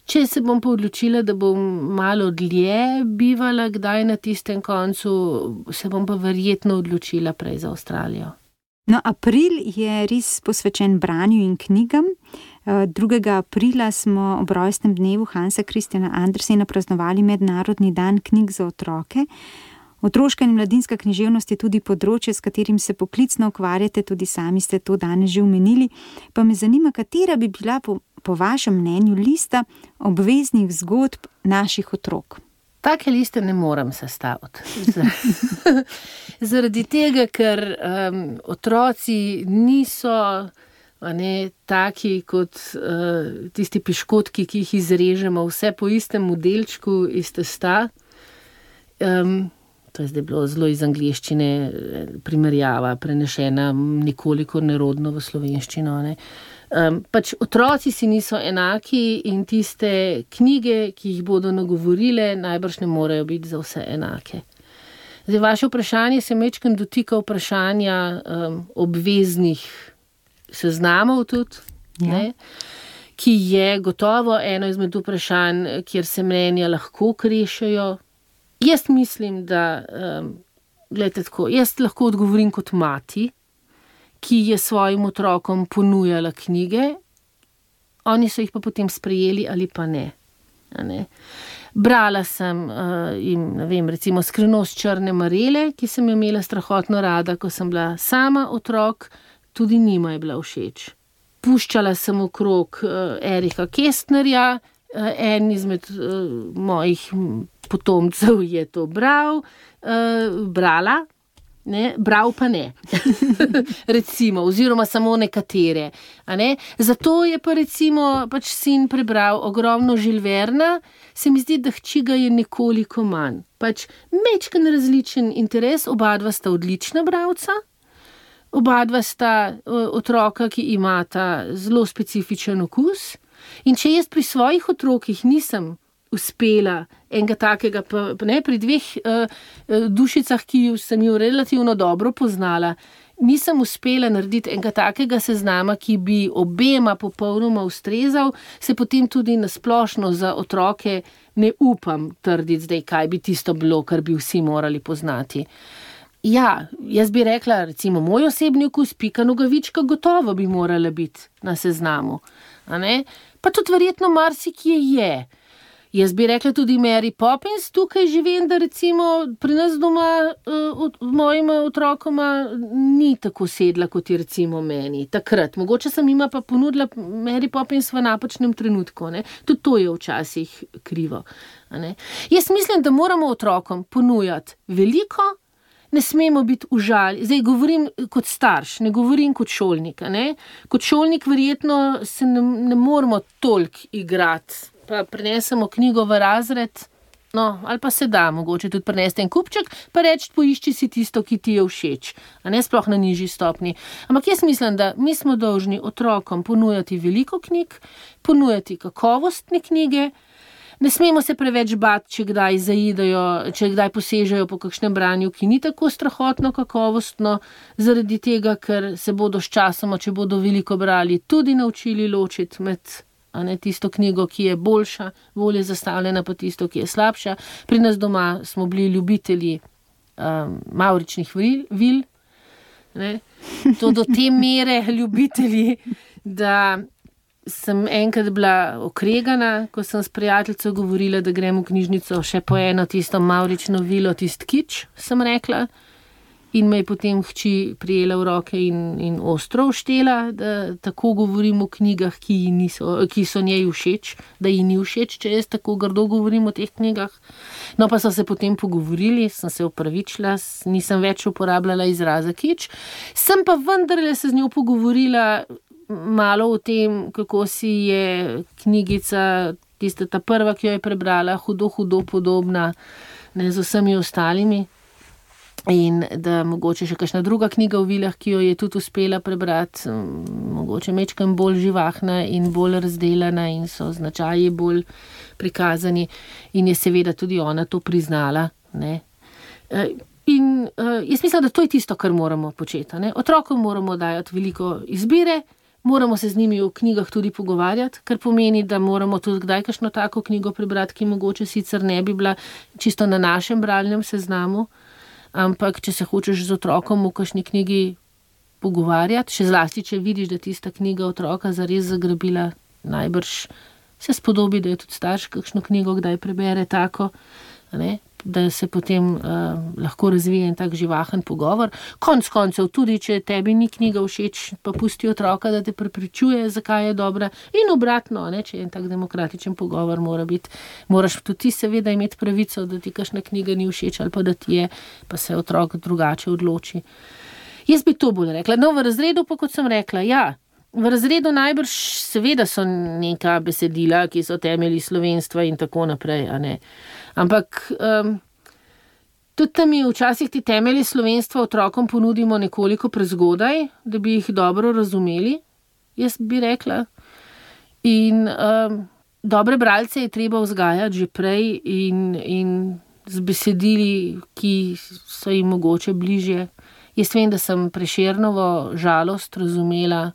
Če se bom pa odločila, da bom malo dlje bivala kdaj na tistem koncu, se bom pa verjetno odločila prej za Avstralijo. No, april je res posvečen branju in knjigam. 2. aprila smo ob rojstnem dnevu Hansa Christiana Andersena praznovali Mednarodni dan knjig za otroke. Otroška in mladinska književnost je tudi področje, s katerim se poklicno ukvarjate, tudi sami ste to danes že omenili. Pa me zanima, katera bi bila po vašem mnenju lista obveznih zgodb naših otrok? Take liste ne morem sestaviti. Zaradi tega, ker otroci niso taki kot tisti piškotki, ki jih izrežemo vse po istem modelčku iz testa. To je zdaj bilo zelo iz angleščine primerjava, prenešena nekoliko nerodno v slovenščino. Ne. Pač otroci si niso enaki in tiste knjige, ki jih bodo nagovorile, najbrž ne morejo biti za vse enake. Zdaj, vaše vprašanje se majčkeno dotika vprašanja obveznih seznamov tudi, ne, ki je gotovo eno izmed vprašanj, kjer se mnenja lahko krešejo. Jaz mislim, da, gledajte tako, jaz lahko odgovorim kot mati, ki je svojim otrokom ponujala knjige, oni so jih pa potem sprejeli ali pa ne. Brala sem jim, ne vem, recimo Skrivnost črne marele, ki sem jo imela strahotno rada, ko sem bila sama otrok, tudi njima je bila všeč. Puščala sem okrog Erika Kästnerja, en izmed mojih potomcev je to brala, ne, bral pa ne. Recimo, oziroma samo nekatere. A ne? Zato je pa recimo pač sin prebral ogromno Jules Verna, se mi zdi, da hči ga je nekoliko manj. Pač majčken različen interes, obadva sta odlična bralca, obadva sta otroka, ki imata zelo specifičen okus. In če jaz pri svojih otrokih nisem uspela enega takega, pa ne, pri 2 dušicah, ki sem jo relativno dobro poznala, nisem uspela narediti enega takega seznama, ki bi obema popolnoma ustrezal, se potem tudi nasplošno za otroke ne upam trditi zdaj, kaj bi tisto bilo, kar bi vsi morali poznati. Ja, jaz bi rekla, recimo, moj osebni okus, Pika Nogavička, gotovo bi morala biti na seznamu. A ne? Pa tudi verjetno marsikje je. Jaz bi rekla tudi Mary Poppins, tukaj že vem, da recimo pri nas doma mojima otrokoma ni tako sedla, kot je recimo meni. Takrat. Mogoče sem jima pa ponudila Mary Poppins v napačnem trenutku. Ne? Tudi to je včasih krivo. A ne? Jaz mislim, da moramo otrokom ponujati veliko ne smemo biti užaljeni. Zdaj govorim kot starš, ne govorim kot šolnik. Ne? Kot šolnik verjetno se ne moramo toliko igrati, pa prinesemo knjigo v razred, no, ali pa se da, mogoče tudi prinesti en kupček, pa reči, poišči si tisto, ki ti je všeč, a ne sploh na nižji stopni. Ampak jaz mislim, da mi smo dolžni otrokom ponujati veliko knjig, ponujati kakovostne knjige, ne smemo se preveč bati, če kdaj zaidejo, če kdaj posežejo po kakšnem branju, ki ni tako strahotno kakovostno, zaradi tega, ker se bodo s časoma, če bodo veliko brali, tudi naučili ločiti med tisto knjigo, ki je boljša, bolje zastavljena, pa tisto, ki je slabša. Pri nas doma smo bili ljubitelji mavričnih vil, ne? To do te mere ljubitelji, da sem enkrat bila okregana, ko sem s prijateljico govorila, da grem v knjižnico še po eno tisto mavrično vilo, tist kič, sem rekla. In me je potem hči prijela v roke in ostro vštela, da tako govorim o knjigah, ki so njej všeč, da ji ni všeč, če jaz tako grdo govorim o teh knjigah. No, pa so se potem pogovorili, sem se opravičila, nisem več uporabljala izraza kič. Sem pa vendarle se z njo pogovorila malo o tem, kako si je knjigica, tista ta prva, ki jo je prebrala, hudo podobna, ne, z vsemi ostalimi. In da mogoče še kakšna druga knjiga v vilah, ki jo je tudi uspela prebrati, mogoče majčkeno bolj živahna in bolj razdelana in so značaji bolj prikazani. In je seveda tudi ona to priznala. Ne. In jaz mislim, da to je tisto, kar moramo početi. Ne. Otrokom moramo dajati veliko izbire, moramo se z njimi o knjigah tudi pogovarjati, kar pomeni, da moramo tudi kdaj kakšno tako knjigo prebrati, ki mogoče sicer ne bi bila čisto na našem bralnem seznamu. Ampak, če se hočeš z otrokom v kakšni knjigi pogovarjati, še zlasti, če vidiš, da tista knjiga otroka zares zagrabila, najbrž se spodobi, da je tudi starš kakšno knjigo kdaj prebere tako, ne, da se potem lahko razvije en tak živahen pogovor. Konec koncev, tudi če tebi ni knjiga všeč, pa pusti otroka, da te prepričuje, zakaj je dobra. In obratno, ne, če je en tak demokratičen pogovor, moraš tudi ti seveda imeti pravico, da ti kakšna knjiga ni všeč ali pa da ti je, pa se otrok drugače odloči. Jaz bi to bolj rekla. No, v razredu pa, kot sem rekla, ja, v razredu najbrž seveda so neka besedila, ki so temelji slovenstva in tako naprej, a ne. Ampak tudi tam mi včasih ti temelji slovenstva otrokom ponudimo nekoliko prezgodaj, da bi jih dobro razumeli, jaz bi rekla. In dobre bralce je treba vzgajati že prej in z besedili, ki so jim mogoče bližje. Jaz vem, da sem Prešernovo Žalost razumela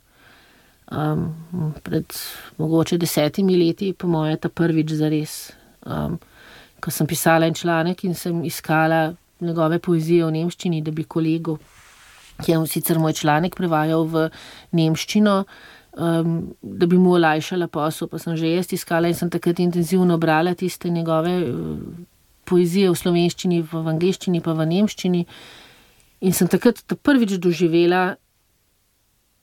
pred mogoče 10 leti, po moje ta prvič zares. Ko sem pisala en članek in sem iskala njegove poezije v nemščini, da bi kolegu, ki je sicer moj članek prevajal v nemščino, da bi mu olajšala posel, pa sem že jaz iskala in sem takrat intenzivno brala tiste njegove poezije v slovenščini, v angleščini pa v nemščini in sem takrat prvič doživela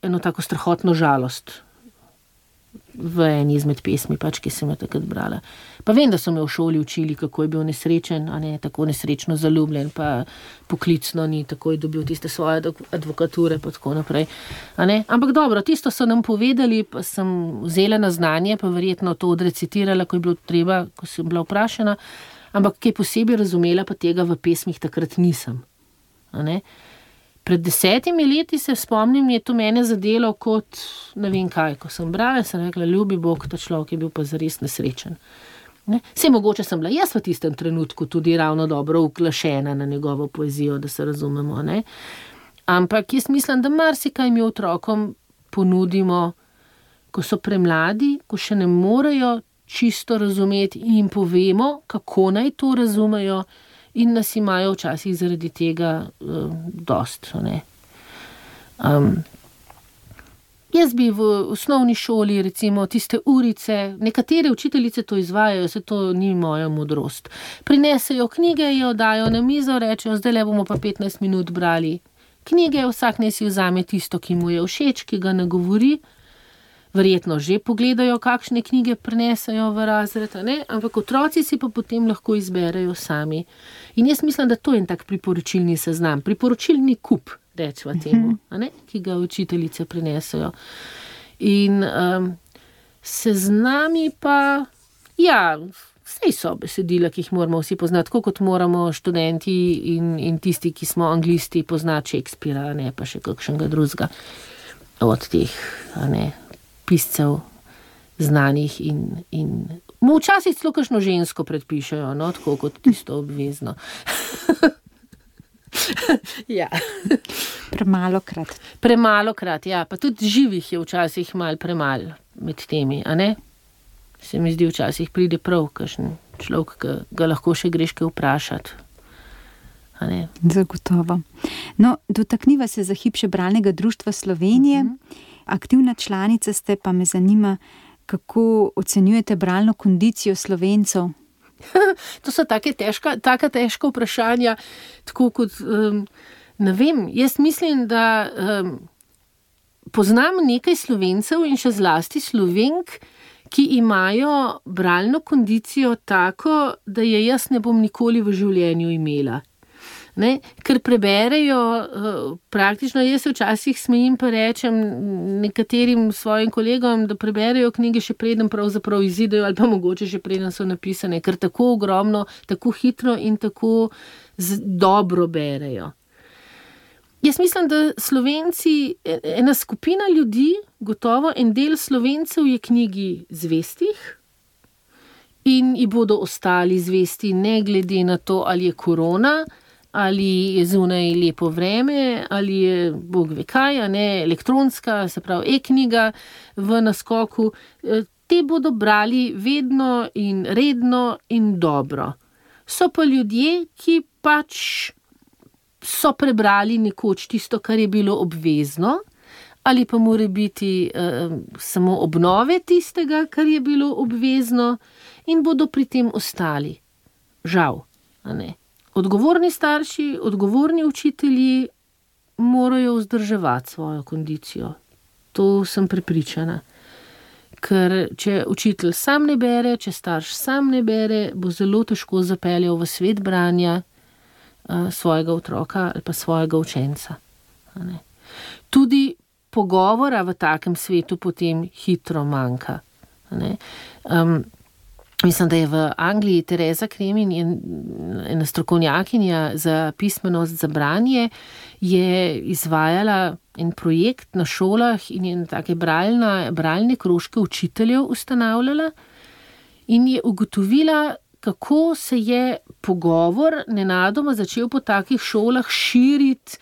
eno tako strahotno žalost v eni izmed pesmi, ki sem jo takrat brala. Pa vem, da so me v šoli učili, kako je bil nesrečen, a ne tako nesrečno zaljubljen, pa poklicno ni takoj dobil tiste svoje advokature, pa tako naprej. A ne? Ampak dobro, tisto so nam povedali, pa sem vzela na znanje, pa verjetno to odrecitirala, ko je bilo treba, ko sem bila vprašana, ampak kaj posebej razumela, pa tega v pesmih takrat nisem. A ne? Pred 10 leti se spomnim, je to mene zadelo kot ne vem kaj, ko sem brala, sem rekla, ljubi Bog, ta človek je bil pa zares nesrečen. Ne? Saj mogoče sem bila jaz v tistem trenutku tudi ravno dobro uklašena na njegovo poezijo, da se razumemo. Ne? Ampak jaz mislim, da marsikaj mi otrokom ponudimo, ko so premladi, ko še ne morejo čisto razumeti in jim povemo, kako naj to razumejo, in nas imajo včasih zaradi tega dost. Ne? Jaz bi v osnovni šoli recimo tiste urice, nekatere učiteljice to izvajajo, se to ni moja modrost. Prinesejo knjige, jo dajo na mizo, rečejo, zdaj bomo pa 15 minut brali knjige, vsak naj si vzame tisto, ki mu je všeč, ki ga nagovori. verjetno že pogledajo, kakšne knjige prenesajo v razred, ne? Ampak otroci si pa potem lahko izberejo sami. In jaz mislim, da to je en tak priporočilni seznam, priporočilni kup, rečemo temu, ne? Ki ga učiteljice prenesajo. In seznami pa, ja, vsej so besedila, ki jih moramo vsi poznati, tako kot moramo študenti in tisti, ki smo anglisti, poznati Shakespearea, ne pa še kakšnega drugega od teh, piscev znanih in mu včasih celo kakšno žensko predpišejo, no, tako kot tisto obvezno. Ja. Premalokrat, ja, pa tudi živih je včasih malo premalo med temi, a ne? Se mi zdi, včasih pride prav kakšen človek, ki ga lahko še greš kaj vprašati. Zagotovo. No, dotakniva se za hip še Bralnega društva Slovenije. Aktivna članica ste, pa me zanima, kako ocenjujete bralno kondicijo Slovencev? To so taka težka vprašanja, tako kot, ne vem, jaz mislim, da poznam nekaj Slovencev in še zlasti Slovenk, ki imajo bralno kondicijo tako, da je jaz ne bom nikoli v življenju imela. Ne? Ker preberejo praktično, jaz se včasih smejim pa rečem nekaterim svojim kolegom, da preberejo knjige še preden pravzaprav izidejo ali pa mogoče še preden so napisane, ker tako ogromno, tako hitro in tako dobro berejo. Jaz mislim, da Slovenci, ena skupina ljudi, gotovo en del Slovencev je knjigi zvestih in ji bodo ostali zvesti ne glede na to, ali je korona, ali je zunaj lepo vreme, ali je bog ve kaj, ne, elektronska, se pravi e-knjiga v naskoku. Te bodo brali vedno in redno in dobro. So pa ljudje, ki pač so prebrali nekoč tisto, kar je bilo obvezno, ali pa mora biti samo obnove tistega, kar je bilo obvezno in bodo pri tem ostali. Žal, a ne. Odgovorni starši, odgovorni učitelji morajo vzdrževati svojo kondicijo. To sem prepričana. Ker če učitelj sam ne bere, če starš sam ne bere, bo zelo težko zapeljal v svet branja svojega otroka ali pa svojega učenca. Tudi pogovora v takem svetu potem hitro manjka. Mislim, da je v Angliji Tereza Kremin, ena strokovnjakinja za pismenost za branje, je izvajala en projekt na šolah in je take bralne krožke učiteljev ustanavljala in je ugotovila, kako se je pogovor nenadoma začel po takih šolah širiti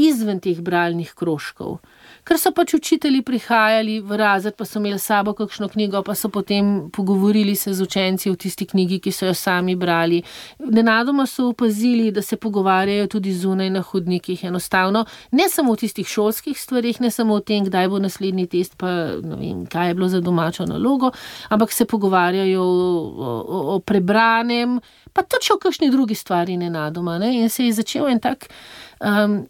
izven teh bralnih krožkov. Ker so pač učitelji prihajali v razred, pa so imeli s sabo kakšno knjigo, pa so potem pogovorili se z učenci o tisti knjigi, ki so jo sami brali. Nenadoma so opazili, da se pogovarjajo tudi zunaj na hodnikih, enostavno, ne samo o tistih šolskih stvarih, ne samo o tem, kdaj bo naslednji test, pa ne vem, kaj je bilo za domačo nalogo, ampak se pogovarjajo o prebranem, pa tudi o kakšni drugi stvari nenadoma, ne? In se je začel en tak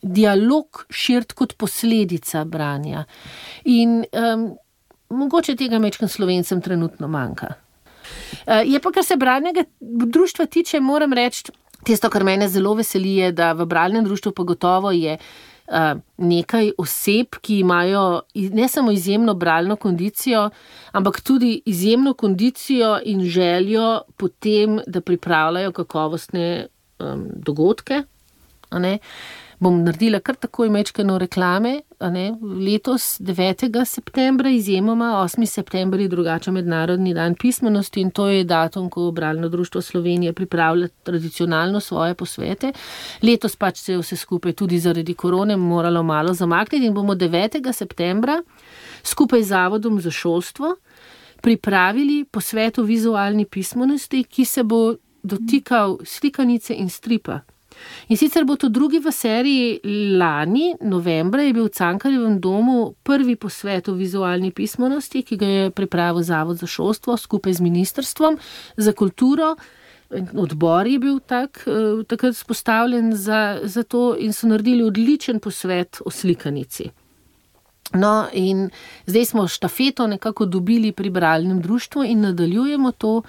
dialog širiti kot posledica branja. In mogoče tega majčkeno Slovencem trenutno manjka. Je pa, kar se Bralnega društva tiče, moram reči, tisto, kar mene zelo veseli, je, da v Bralnem društvu pa gotovo je nekaj oseb, ki imajo ne samo izjemno bralno kondicijo, ampak tudi izjemno kondicijo in željo potem, da pripravljajo kakovostne dogodke. Bom naredila kar takoj majčkeno reklame. Letos 9. septembra, izjemoma 8. september je drugače mednarodni dan pismenosti in to je datum, ko Bralno društvo Slovenije pripravlja tradicionalno svoje posvete. Letos pač se je vse skupaj tudi zaradi korone moralo malo zamakniti in bomo 9. septembra skupaj z Zavodom za šolstvo pripravili posvet o vizualni pismenosti, ki se bo dotikal slikanice in stripa. In sicer bo to drugi v seriji. Lani, novembra, je bil v Cankarjevem domu prvi posvet o vizualni pismenosti, ki ga je pripravil Zavod za šolstvo skupaj z Ministrstvom za kulturo. Odbor je bil takrat vzpostavljen za to in so naredili odličen posvet o slikanici. No, in zdaj smo štafeto nekako dobili pri bralnem društvu in nadaljujemo to.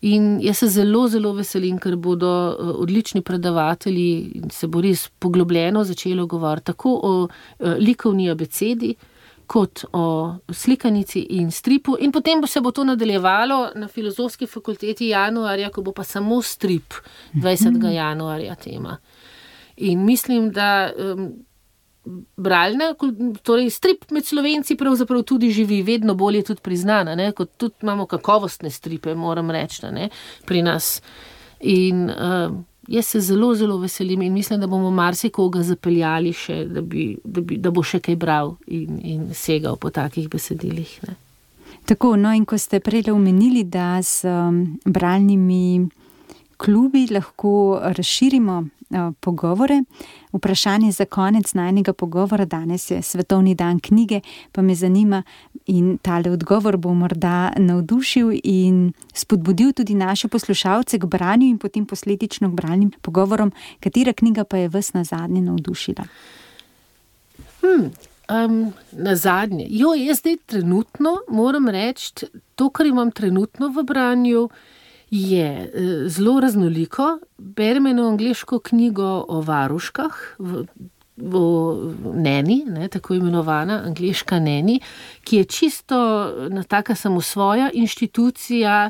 In jaz se zelo, zelo veselim, ker bodo odlični predavatelji in se bo res poglobljeno začelo govoriti tako o likovni abecedi, kot o slikanici in stripu. In potem se bo to nadaljevalo na Filozofski fakulteti januarja, ko bo pa samo strip 20. januarja tema. In mislim, da bralna, torej strip med Slovenci pravzaprav tudi živi, vedno bolje tudi priznana, ne? Kot tudi imamo kakovostne stripe, moram reči, ne? Pri nas. In jaz se zelo, zelo veselim in mislim, da bomo marsikoga zapeljali še, da bo še kaj bral in segal po takih besedilih. Ne? Tako, no in ko ste prej omenili, da s bralnimi klubi lahko razširimo pogovore. Vprašanje za konec najnega pogovora, danes je Svetovni dan knjige, pa me zanima in tale odgovor bo morda navdušil in spodbudil tudi naše poslušalce k branju in potem posledično k bralnim pogovorom. Katera knjiga pa je vas nazadnje navdušila? Nazadnje. Jaz zdaj trenutno moram reči, to, kar imam trenutno v branju, je zelo raznoliko. Berem eno angleško knjigo o varuškah, o neni, ne, tako imenovana angleška neni, ki je čisto taka samosvoja inštitucija,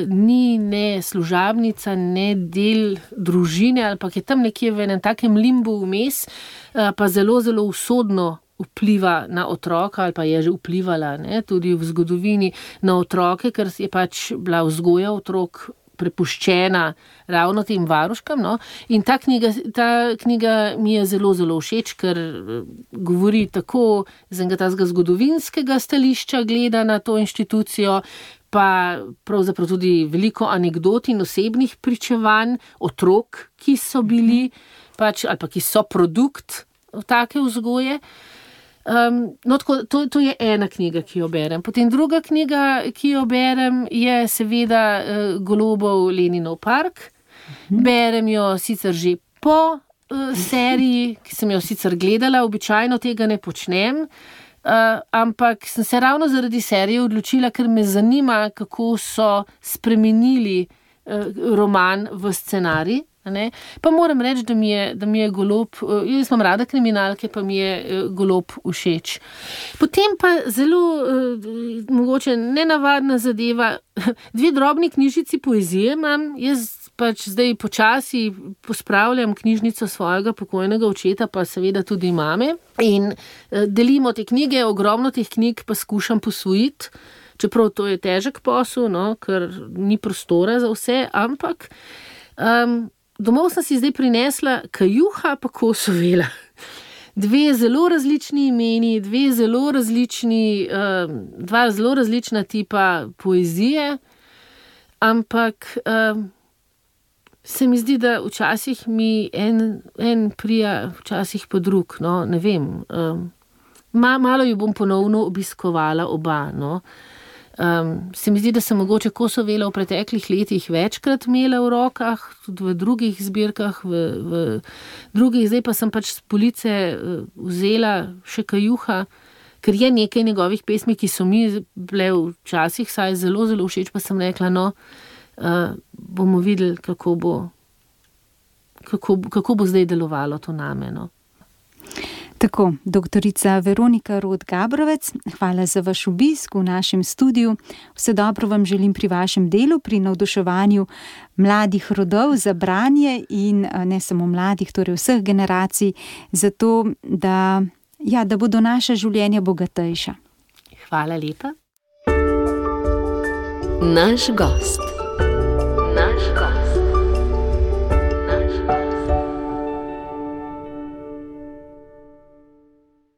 ni ne služabnica, ne del družine, ali pa je tam nekje v enem takem limbu vmes, pa zelo, zelo usodno vpliva na otroka, ali pa je že vplivala, ne, tudi v zgodovini na otroke, ker je pač bila vzgoja otrok prepuščena ravno tem varuškam. No. In ta knjiga mi je zelo, zelo všeč, ker govori tako z enega tazga zgodovinskega stališča, gleda na to inštitucijo, pa pravzaprav tudi veliko anekdot in osebnih pričevanj otrok, ki so bili pač, ali pa ki so produkt take vzgoje. No, tako, to je ena knjiga, ki jo berem. Potem druga knjiga, ki jo berem, je seveda Golobov Leninov park. Berem jo sicer že po seriji, ki sem jo sicer gledala, običajno tega ne počnem, ampak sem se ravno zaradi serije odločila, ker me zanima, kako so spremenili roman v scenarij. Ne? Pa moram reči, da mi je Golob, jaz imam rada kriminalke, pa mi je Golob všeč. Potem pa zelo mogoče nenavadna zadeva, 2 drobni knjižici poezije imam, jaz pač zdaj počasi pospravljam knjižnico svojega pokojnega očeta, pa seveda tudi mame, in delimo te knjige, ogromno teh knjig pa skušam posvojiti, čeprav to je težek posel, no, ker ni prostora za vse, ampak domov sem si zdaj prinesla Kajuha pa Kosovela. 2 zelo različni imeni, 2 zelo različna tipa poezije, ampak se mi zdi, da včasih mi en prija, včasih pa drug, no, ne vem. Malo ju bom ponovno obiskovala oba, no. Se mi zdi, da sem mogoče Kosovela v preteklih letih večkrat imela v rokah, tudi v drugih zbirkah, v drugih, zdaj pa sem pač s police vzela še Kajuha, ker je nekaj njegovih pesmi, ki so mi bile včasih saj zelo, zelo všeč, pa sem rekla, no, bomo videli, kako bo zdaj delovalo to name, no. Tako, doktorica Veronika Rot-Gabrovec, hvala za vaš obisk v našem studiu. Vse dobro vam želim pri vašem delu, pri navduševanju mladih rodov za branje in ne samo mladih, torej vseh generacij, zato da bodo naša življenja bogatejša. Hvala lepa. Naš gost.